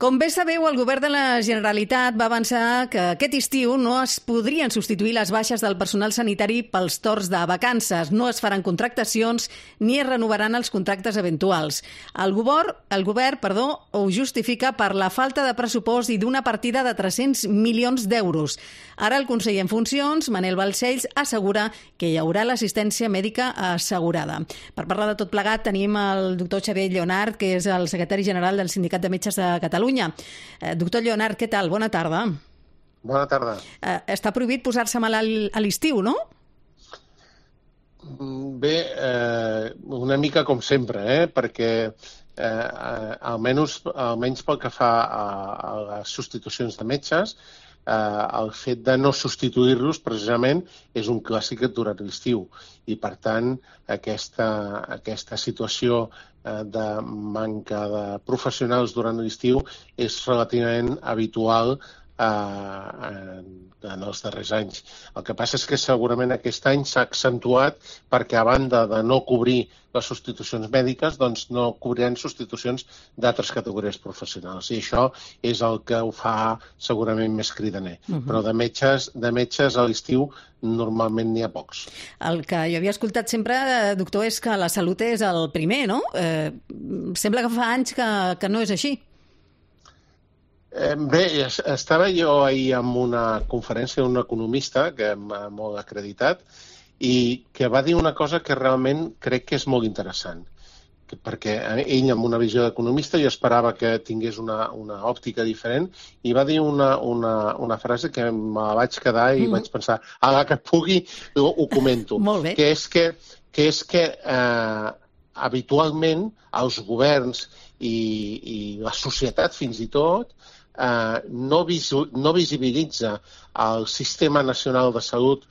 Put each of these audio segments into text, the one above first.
Com bé sabeu, el govern de la Generalitat va avançar que aquest estiu no es podrien substituir les baixes del personal sanitari pels torns de vacances, no es faran contractacions ni es renovaran els contractes eventuals. El govern ho justifica per la falta de pressupost i d'una partida de 300 milions d'euros. Ara el conseller en funcions, Manel Balcells, assegura que hi haurà l'assistència mèdica assegurada. Per parlar de tot plegat tenim el doctor Xavier Lleonart, que és el secretari general del Sindicat de Metges de Catalunya. Doctor Lleonart, què tal? Bona tarda. Bona tarda. Està prohibit posar-se malalt a l'estiu, no? Bé, una mica com sempre, perquè almenys pel que fa a les substitucions de metges, el fet de no substituir-los precisament és un clàssic durant l'estiu i per tant aquesta situació de manca de professionals durant l'estiu és relativament habitual en els darrers anys. El que passa és que segurament aquest any s'ha accentuat perquè a banda de no cobrir les substitucions mèdiques, doncs no cobriran substitucions d'altres categories professionals. I això és el que ho fa segurament més cridaner. Però de metges a l'estiu normalment n'hi ha pocs. El que jo havia escoltat sempre, doctor, és que la salut és el primer, no? Sembla que fa anys que no és així. Bé, estava jo ahir en una conferència d'un economista que molt acreditat i que va dir una cosa que realment crec que és molt interessant, perquè ell amb una visió d'economista jo esperava que tingués una òptica diferent i va dir una frase que me la vaig quedar i vaig pensar, ara que pugui ho comento, que és que habitualment els governs i la societat fins i tot no visibilitza el Sistema Nacional de Salut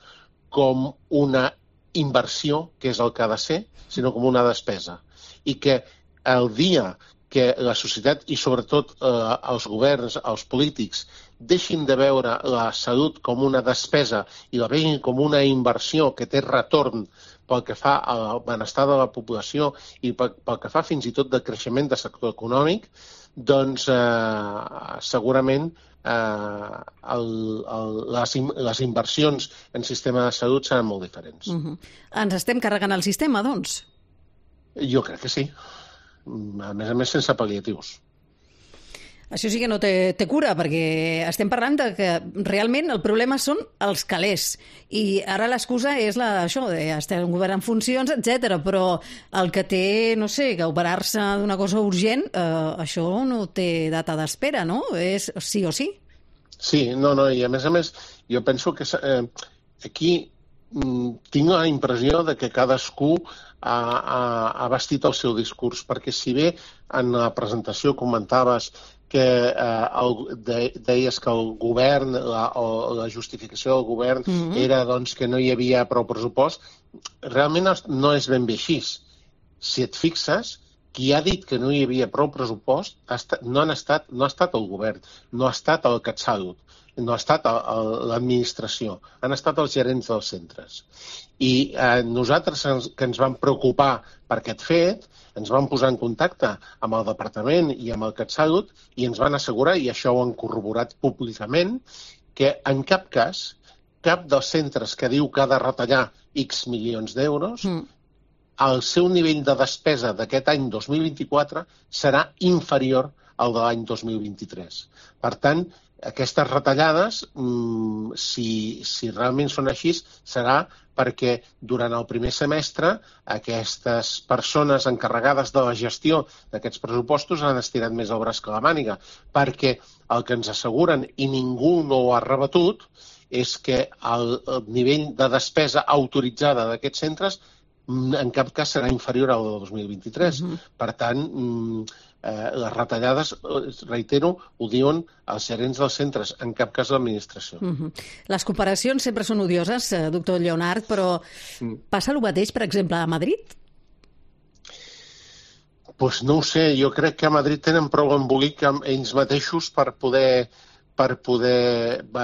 com una inversió, que és el que ha de ser, sinó com una despesa. I que el dia que la societat i sobretot els governs, els polítics, deixin de veure la salut com una despesa i la vegin com una inversió que té retorn pel que fa al benestar de la població i pel que fa fins i tot de creixement del sector econòmic, doncs segurament les inversions en sistema de salut seran molt diferents. Ens estem carregant el sistema, doncs? Jo crec que sí. A més sense pal·liatius. Això sí que no té cura, perquè estem parlant de que realment el problema són els calés. I ara l'excusa és això, d'estar un govern en funcions, etc. Però el que té, no sé, que operar-se d'una cosa urgent, això no té data d'espera, no? És sí o sí. Sí, no, i a més, jo penso que aquí tinc la impressió de que cadascú ha vestit el seu discurs, perquè si bé en la presentació comentaves que deies que el govern o la justificació del govern era doncs, que no hi havia prou pressupost, realment no és ben bé així. Si et fixes, qui ha dit que no hi havia prou pressupost no ha estat el govern, no ha estat el CatSalut, no ha estat l'administració, han estat els gerents dels centres. I nosaltres que ens vam preocupar per aquest fet, ens vam posar en contacte amb el departament i amb el CatSalut i ens van assegurar, i això ho han corroborat públicament, que en cap cas, cap dels centres que diu que ha de retallar X milions d'euros, el seu nivell de despesa d'aquest any 2024 serà inferior al de l'any 2023. Per tant, aquestes retallades, si realment són així, serà perquè durant el primer semestre aquestes persones encarregades de la gestió d'aquests pressupostos han estirat més el braç que la màniga, perquè el que ens asseguren, i ningú no ho ha rebatut, és que el nivell de despesa autoritzada d'aquests centres en cap cas serà inferior al de 2023. Per tant, les retallades, reitero, ho diuen els gerents dels centres, en cap cas l'administració. Les comparacions sempre són odioses, doctor Lleonart, però passa el mateix, per exemple, a Madrid? Doncs no ho sé, jo crec que a Madrid tenen prou embolic amb ells mateixos per poder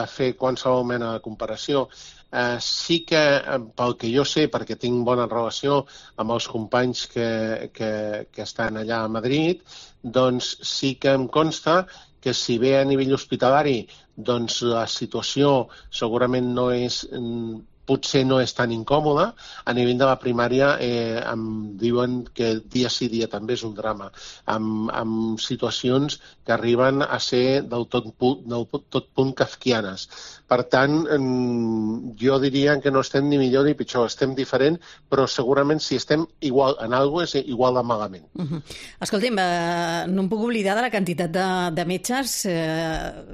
fer qualsevol mena de comparació. Sí que, pel que jo sé, perquè tinc bona relació amb els companys que estan allà a Madrid, doncs sí que em consta que si bé a nivell hospitalari doncs la situació segurament no és... potser no és tan incòmoda, a nivell de la primària em diuen que dia sí dia també és un drama, amb situacions que arriben a ser del tot punt kafkianes. Per tant, jo diria que no estem ni millor ni pitjor, estem diferent, però segurament si estem igual en alguna cosa és igual de malament. Escolti'm, no em puc oblidar de la quantitat de metges,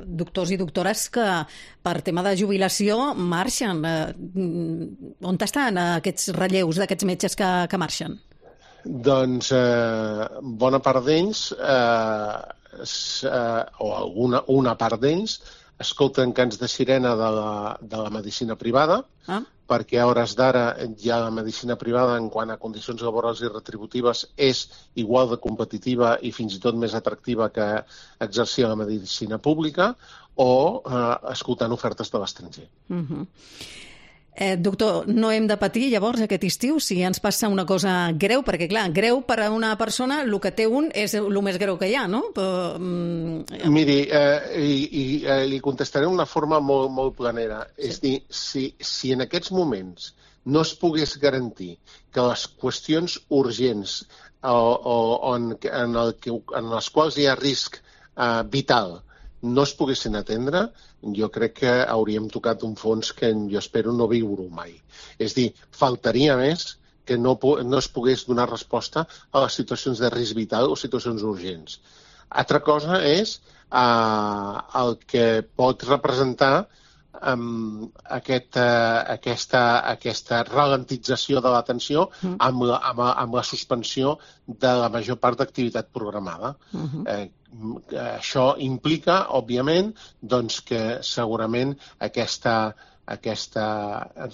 doctors i doctores que per tema de jubilació marxen. On estan aquests relleus d'aquests metges que marxen? Doncs bona part d'ells, o una part d'ells, escolten cants de sirena de la medicina privada, perquè a hores d'ara ja la medicina privada en quant a condicions laborals i retributives és igual de competitiva i fins i tot més atractiva que exercir la medicina pública, o escoltant ofertes de l'estranger. Doctor, no hem de patir llavors aquest estiu si ens passa una cosa greu, perquè clar, greu per a una persona, el que té un és el més greu que hi ha, no? Miri, li contestaré d'una forma molt planera. És dir, si en aquests moments no es pogués garantir que les qüestions urgents en les quals hi ha risc vital no es poguessin atendre, jo crec que hauríem tocat un fons que jo espero no viure-ho mai. És dir, faltaria més que no es pogués donar resposta a les situacions de risc vital o situacions urgents. Altra cosa és el que pot representar aquesta ralentització de l'atenció amb la suspensió de la major part d'activitat programada. Això implica, òbviament, doncs, que segurament aquesta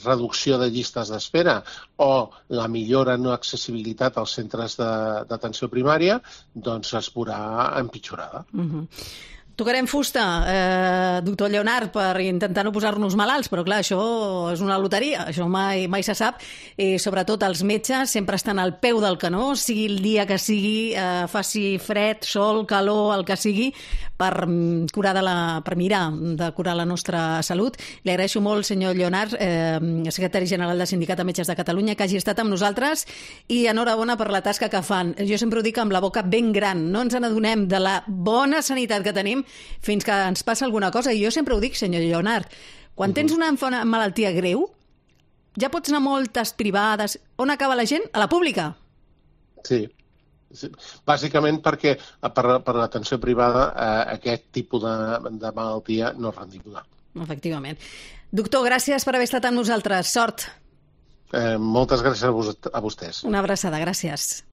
reducció de llistes d'espera o la millora en l'accessibilitat als centres d'atenció primària doncs es veurà empitjorada. Tocarem fusta, doctor Lleonart, per intentar no posar-nos malalts, però clar, això és una loteria, això mai se sap, i sobretot els metges sempre estan al peu del canó, sigui el dia que sigui, faci fred, sol, calor, el que sigui, per mirar de curar la nostra salut. Li agraeixo molt, senyor Lleonart, secretari general del Sindicat de Metges de Catalunya, que hagi estat amb nosaltres, i enhorabona per la tasca que fan. Jo sempre ho dic amb la boca ben gran, no ens n'adonem de la bona sanitat que tenim fins que ens passa alguna cosa. I jo sempre ho dic, senyor Lleonart, quan tens una malaltia greu, ja pots anar a moltes privades. On acaba la gent? A la pública. Sí. Bàsicament perquè per l'atenció privada aquest tipus de malaltia no és rendible. Efectivament. Doctor, gràcies per haver estat amb nosaltres. Sort. Moltes gràcies a vostès. Una abraçada, gràcies.